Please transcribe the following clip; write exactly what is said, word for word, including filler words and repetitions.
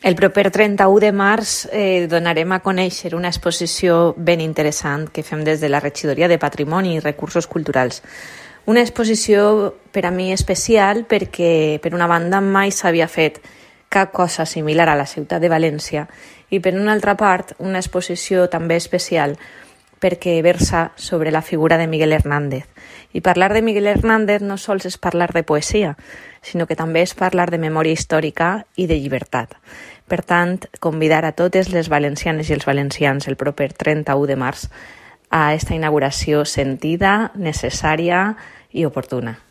El proper trenta-u de març eh, donarem a conèixer una exposició ben interessant que fem des de la Regidoria de Patrimoni i Recursos Culturals. Una exposició per a mi especial perquè, per una banda, mai s'havia fet cap cosa similar a la ciutat de València i, per una altra part, una exposició també especial perquè versa sobre la figura de Miguel Hernández. I parlar de Miguel Hernández no sols és parlar de poesia, sinó que també és parlar de memòria històrica i de llibertat. Per tant, convidar a totes les valencianes i els valencians el proper trenta-u de març a esta inauguració sentida, necessària i oportuna.